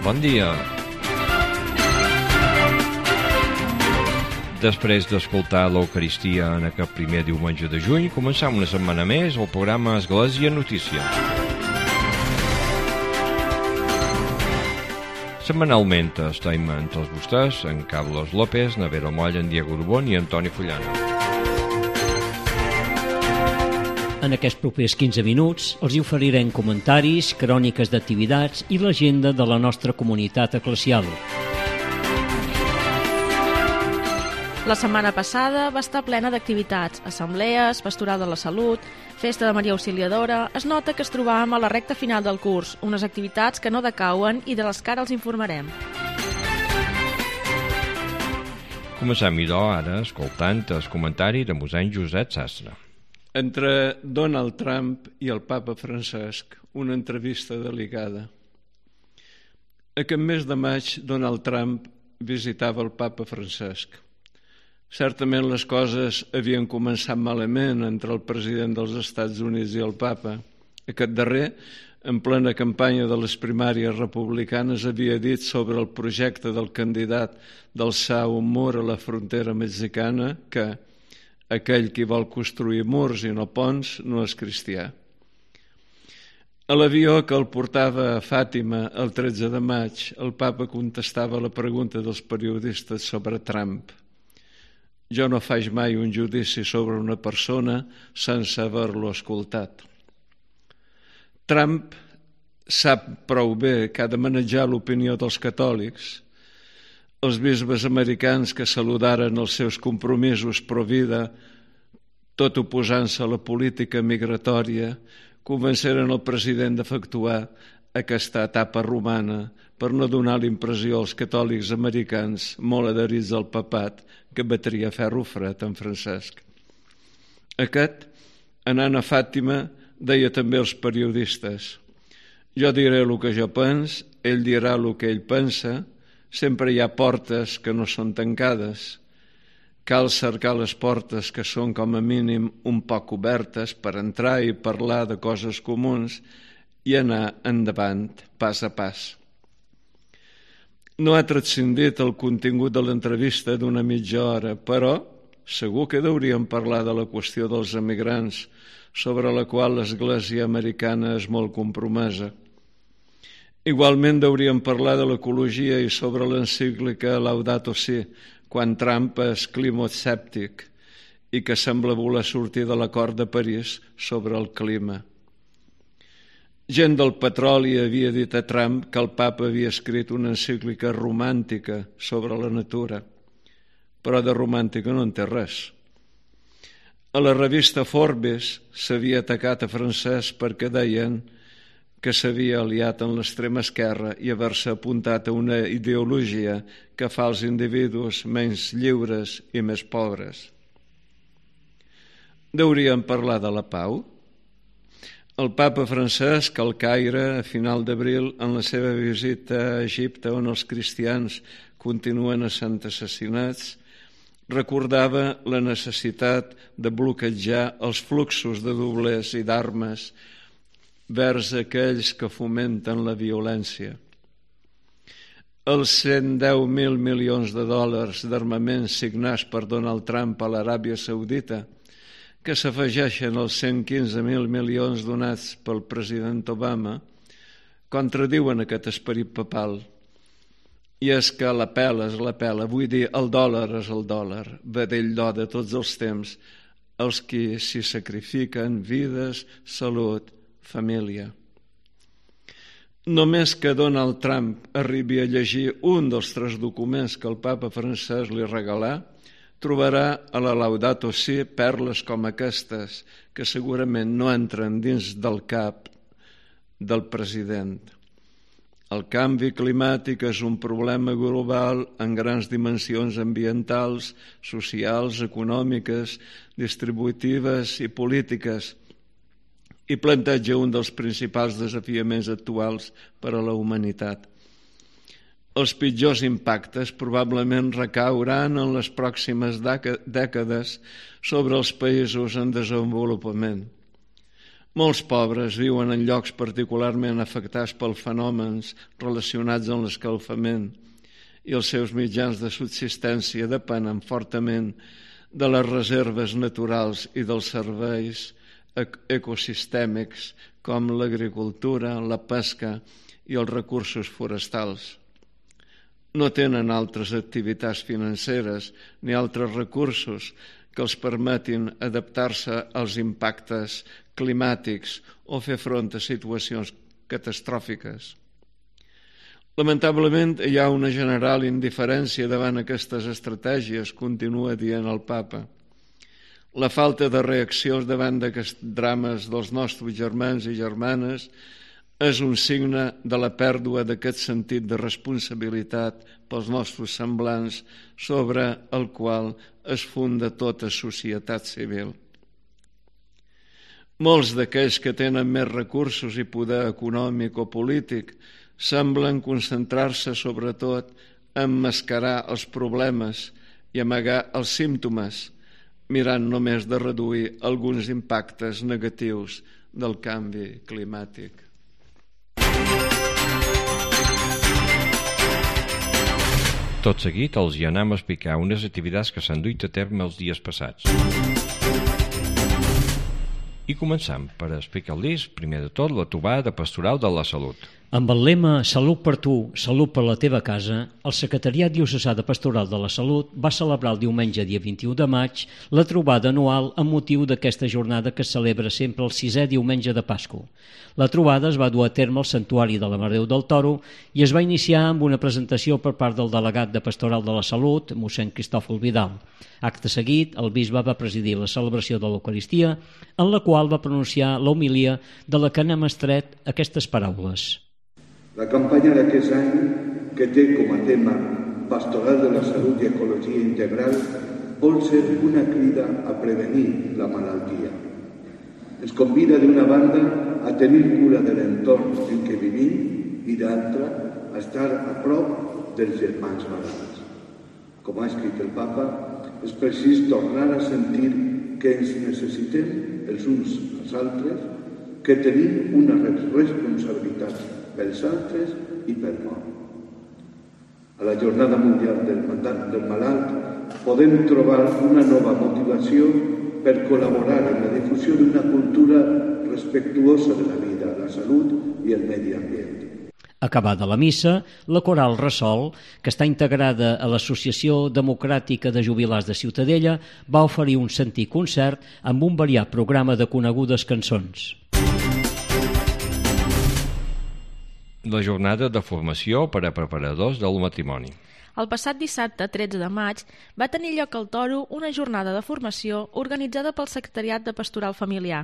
Bon dia. Després d'escoltar l'Eucaristia en aquest primer diumenge de juny, començam una setmana més el programa Església Notícia. Setmanalment estem entre els vostès en Carlos López, Navero Moll, en Diego Urbón i Antoni Fullana. En aquests propers 15 minuts els hi oferirem comentaris, cròniques d'activitats i l'agenda de la nostra comunitat eclesial. La setmana passada va estar plena d'activitats, assemblees, pastoral de la salut, festa de Maria Auxiliadora. Es nota que es trobàvem a la recta final del curs, unes activitats que no decauen i de les que ara els informarem. Comencem, idò, ara, escoltant el comentari de mossèn Josep Sastre. Entre Donald Trump i el papa Francesc, una entrevista delicada. Aquest mes de maig, Donald Trump visitava el papa Francesc. Certament les coses havien començat malament entre el president dels Estats Units i el papa. Aquest darrer, en plena campanya de les primàries republicanes, havia dit sobre el projecte del candidat d'alçar un mur a la frontera mexicana que aquell qui vol construir murs i no ponts no és cristià. A l'avió que el portava a Fàtima el 13 de maig, el papa contestava la pregunta dels periodistes sobre Trump. Jo no faig mai un judici sobre una persona sense haver-lo escoltat. Trump sap prou bé que ha de manejar l'opinió dels catòlics. Els bisbes americans que saludaren els seus compromisos pro-vida, tot oposant-se a la política migratòria, convenceren el president d'efectuar aquesta etapa romana per no donar l'impressió als catòlics americans molt adherits al papat que batria ferro fred en Francesc. Aquest, anant a Fàtima, deia també als periodistes: jo diré el que jo pens, ell dirà el que ell pensa, sempre hi ha portes que no són tancades. Cal cercar les portes que són com a mínim un poc obertes per entrar i parlar de coses comuns i anar endavant, pas a pas. No ha transcendit el contingut de l'entrevista d'una mitja hora, però segur que hauríem parlar de la qüestió dels emigrants, sobre la qual l'Església americana és molt compromesa. Igualment hauríem parlar de l'ecologia i sobre l'encíclica Laudato Si, quan Trump és climaescèptic i que sembla voler sortir de l'acord de París sobre el clima. Gent del petroli havia dit a Trump que el papa havia escrit una encíclica romàntica sobre la natura, però de romàntica no en té res. A la revista Forbes s'havia atacat a Francesc perquè deien que s'havia aliat amb l'extrema esquerra i haver-se apuntat a una ideologia que fa els individus menys lliures i més pobres. Hauríem parlar de la pau? El papa Francesc al Caire, a final d'abril, en la seva visita a Egipte, on els cristians continuen essent assassinats, recordava la necessitat de bloquejar els fluxos de doblers i d'armes vers aquells que fomenten la violència. Els 110.000 milions de dòlars d'armaments signats per Donald Trump a l'Aràbia Saudita, que s'afegeixen als 115.000 milions donats pel president Obama, contradiuen aquest esperit papal. I és que la pela és la pela, vull dir, el dòlar és el dòlar, vedell d'or de tots els temps, els qui s'hi sacrifiquen vides, salut, família. Només que Donald Trump arribi a llegir un dels 3 documents que el papa Francesc li regalà, trobarà a la Laudato Si perles com aquestes, que segurament no entren dins del cap del president. El canvi climàtic és un problema global en grans dimensions ambientals, socials, econòmiques, distributives i polítiques, i planteja un dels principals desafiaments actuals per a la humanitat. Els pitjors impactes probablement recauran en les pròximes dècades sobre els països en desenvolupament. Molts pobres viuen en llocs particularment afectats pels fenòmens relacionats amb l'escalfament i els seus mitjans de subsistència depenen fortament de les reserves naturals i dels serveis ecosistèmics com l'agricultura, la pesca i els recursos forestals. No tenen altres activitats financeres ni altres recursos que els permetin adaptar-se als impactes climàtics o fer front a situacions catastròfiques. Lamentablement, hi ha una general indiferència davant aquestes estratègies, continua dient el papa. La falta de reaccions davant d'aquests drames dels nostres germans i germanes és un signe de la pèrdua d'aquest sentit de responsabilitat pels nostres semblants sobre el qual es funda tota societat civil. Molts d'aquells que tenen més recursos i poder econòmic o polític semblen concentrar-se sobretot a emmascarar els problemes i amagar els símptomes, mirant només de reduir alguns impactes negatius del canvi climàtic. Tot seguit els hi anem a explicar unes activitats que s'han duit a terme els dies passats. I començam per explicar-los, primer de tot, la trobada pastoral de la salut. Amb el lema Salut per tu, salut per la teva casa, el Secretariat Diocesà de Pastoral de la Salut va celebrar el diumenge dia 21 de maig la trobada anual amb motiu d'aquesta jornada que es celebra sempre el 6è diumenge de Pasqua. La trobada es va dur a terme al Santuari de la Mare de Déu del Toro i es va iniciar amb una presentació per part del delegat de Pastoral de la Salut, mossèn Cristòfol Vidal. Acte seguit, el bisbe va presidir la celebració de l'Eucaristia, en la qual va pronunciar l'homilia de la que n'hem extret aquestes paraules. La campanya d'aquest any, que té com a tema Pastoral de la Salut i Ecologia Integral, vol ser una crida a prevenir la malaltia. Ens convida d'una banda a tenir cura de l'entorn en què vivim i d'altra a estar a prop dels germans malalts. Com ha escrit el papa, és precís tornar a sentir que ens necessitem els uns als altres, que tenim una responsabilitat pels altres i pel món. A la Jornada Mundial del Malalt podem trobar una nova motivació per col·laborar en la difusió d'una cultura respectuosa de la vida, la salut i el medi ambient. Acabada la missa, la coral Ressol, que està integrada a l'Associació Democràtica de Jubilats de Ciutadella, va oferir un sentit concert amb un variat programa de conegudes cançons. La jornada de formació per a preparadors del matrimoni. El passat dissabte, 13 de maig, va tenir lloc al Toro una jornada de formació organitzada pel Secretariat de Pastoral Familiar,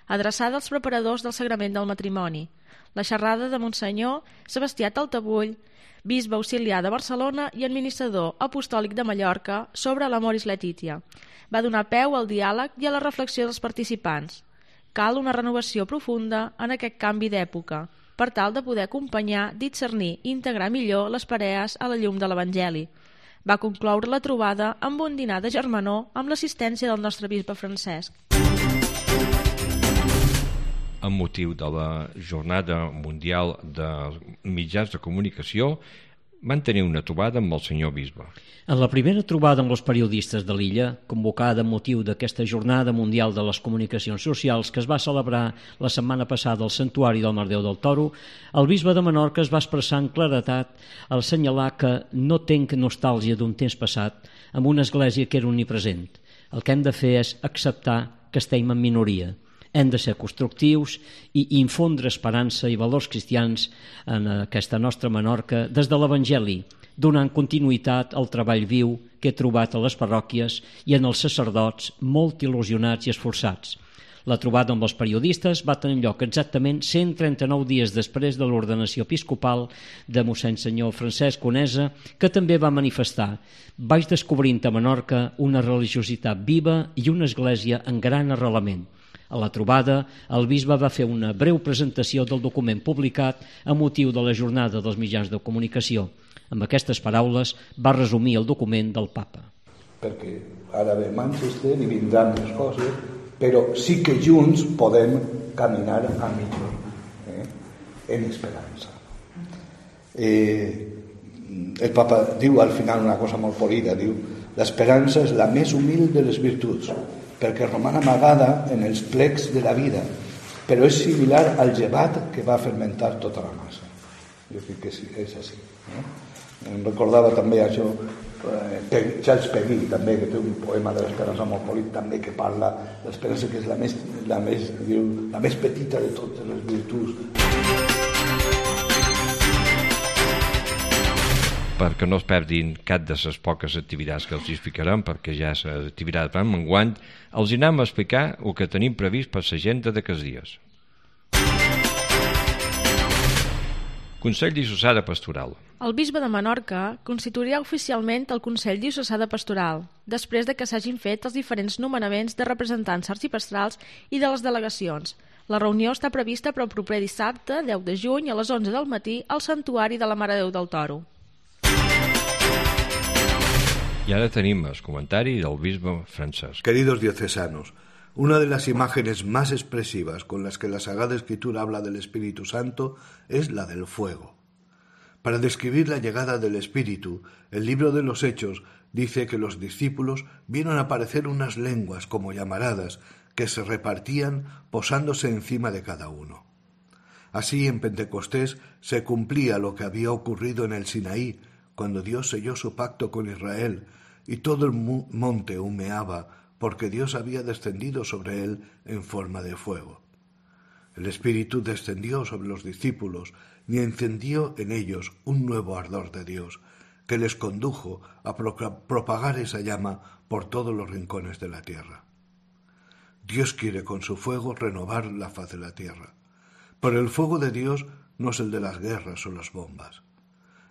adreçada als preparadors del sagrament del matrimoni. La xerrada de Monsenyor Sebastià Taltabull, bisbe auxiliar de Barcelona i administrador apostòlic de Mallorca sobre l'Amoris Laetitia, va donar peu al diàleg i a la reflexió dels participants. Cal una renovació profunda en aquest canvi d'època, per tal de poder acompanyar, discernir i integrar millor les parelles a la llum de l'Evangeli. Va concloure la trobada amb un dinar de germanor amb l'assistència del nostre bisbe Francesc. Amb motiu de la Jornada Mundial de Mitjans de Comunicació, van tenir una trobada amb el senyor bisbe. En la primera trobada amb els periodistes de l'illa, convocada amb motiu d'aquesta Jornada Mundial de les Comunicacions Socials que es va celebrar la setmana passada al Santuari del Mare de Déu del Toro, el bisbe de Menorca es va expressar amb claredat al assenyalar que no tenc nostàlgia d'un temps passat amb una església que era omnipresent. El que hem de fer és acceptar que estem en minoria. Hem de ser constructius i infondre esperança i valors cristians en aquesta nostra Menorca des de l'Evangeli, donant continuïtat al treball viu que he trobat a les parròquies i en els sacerdots molt il·lusionats i esforçats. La trobada amb els periodistes va tenir lloc exactament 139 dies després de l'ordenació episcopal de mossèn senyor Francesc Conesa, que també va manifestar: vaig descobrint a Menorca una religiositat viva i una església en gran arrelament. A la trobada, el bisbe va fer una breu presentació del document publicat a motiu de la Jornada dels Mitjans de Comunicació. Amb aquestes paraules va resumir el document del papa. Perquè ara ve Manchester i vindran més coses però sí que junts podem caminar a millor, en esperança. El Papa diu al final una cosa molt polida, diu: l'esperança és la més humil de les virtuts, perquè roman amagada en els plecs de la vida, però és similar al llevat que va fermentar tota la massa. Jo crec que sí, és així. Em recordava també això, Charles Peguy, també, que té un poema de l'esperança molt polit, també, que parla de l'esperança, que és la més petita de totes les virtuts. Perquè no es perdin cap de les poques activitats que els explicarem, perquè ja les activitats van menguant, els anem a explicar el que tenim previst per l'agenda d'aquests dies. Consell Diocesà de Pastoral. El bisbe de Menorca constituirà oficialment el Consell Diocesà de Pastoral, després de que s'hagin fet els diferents nomenaments de representants arxipastrals i de les delegacions. La reunió està prevista per al proper dissabte, 10 de juny, a les 11 del matí, al Santuari de la Mare de Déu del Toro. Y ahora tenemos el comentario del obispo Francesc. Queridos diocesanos, una de las imágenes más expresivas con las que la Sagrada Escritura habla del Espíritu Santo es la del fuego. Para describir la llegada del Espíritu, el libro de los Hechos dice que los discípulos vieron aparecer unas lenguas como llamaradas que se repartían posándose encima de cada uno. Así, en Pentecostés se cumplía lo que había ocurrido en el Sinaí, cuando Dios selló su pacto con Israel, y todo el monte humeaba, porque Dios había descendido sobre él en forma de fuego. El Espíritu descendió sobre los discípulos y encendió en ellos un nuevo ardor de Dios, que les condujo a propagar esa llama por todos los rincones de la tierra. Dios quiere con su fuego renovar la faz de la tierra, pero el fuego de Dios no es el de las guerras o las bombas.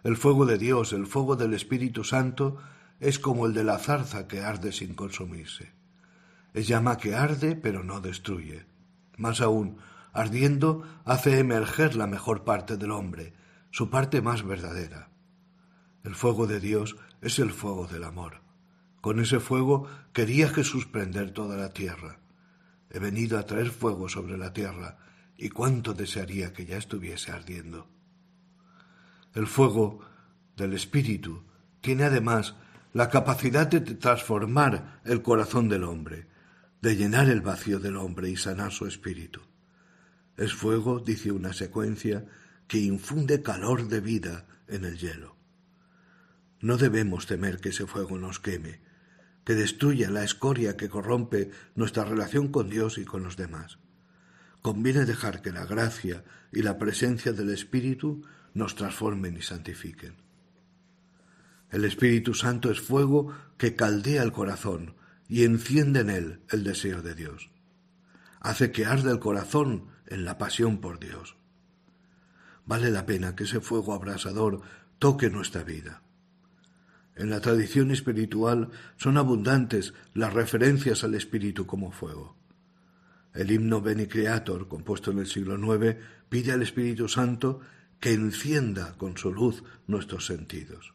El fuego de Dios, el fuego del Espíritu Santo, es como el de la zarza que arde sin consumirse. Es llama que arde pero no destruye. Más aún, ardiendo hace emerger la mejor parte del hombre, su parte más verdadera. El fuego de Dios es el fuego del amor. Con ese fuego quería Jesús prender toda la tierra. He venido a traer fuego sobre la tierra, y cuánto desearía que ya estuviese ardiendo. El fuego del Espíritu tiene además la capacidad de transformar el corazón del hombre, de llenar el vacío del hombre y sanar su espíritu. Es fuego, dice una secuencia, que infunde calor de vida en el hielo. No debemos temer que ese fuego nos queme, que destruya la escoria que corrompe nuestra relación con Dios y con los demás. Conviene dejar que la gracia y la presencia del Espíritu nos transformen y santifiquen. El Espíritu Santo es fuego que caldea el corazón y enciende en él el deseo de Dios. Hace que arde el corazón en la pasión por Dios. Vale la pena que ese fuego abrasador toque nuestra vida. En la tradición espiritual son abundantes las referencias al Espíritu como fuego. El himno Bene Creator, compuesto en el siglo IX, pide al Espíritu Santo que encienda con su luz nuestros sentidos.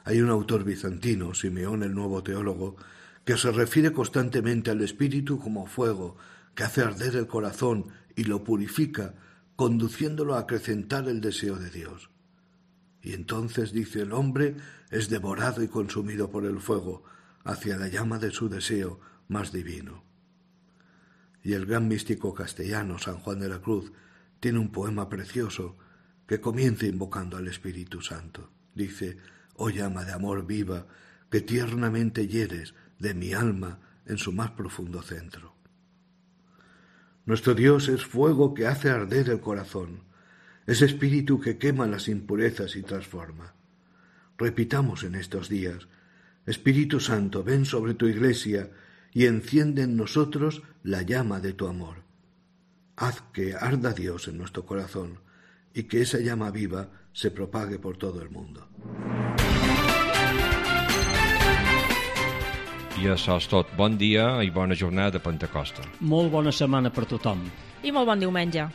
Hay un autor bizantino, Simeón el Nuevo Teólogo, que se refiere constantemente al Espíritu como fuego que hace arder el corazón y lo purifica, conduciéndolo a acrecentar el deseo de Dios. Y entonces, dice, el hombre es devorado y consumido por el fuego hacia la llama de su deseo más divino. Y el gran místico castellano San Juan de la Cruz tiene un poema precioso que comienza invocando al Espíritu Santo. Dice: «Oh llama de amor viva, que tiernamente hieres de mi alma en su más profundo centro». Nuestro Dios es fuego que hace arder el corazón, es espíritu que quema las impurezas y transforma. Repitamos en estos días: Espíritu Santo, ven sobre tu Iglesia y enciende en nosotros la llama de tu amor. Haz que arda Dios en nuestro corazón y que esa llama viva se propague por todo el mundo. I això és tot. Bon dia i bona jornada de Pentecosta. Molt bona setmana per tothom. I molt bon diumenge.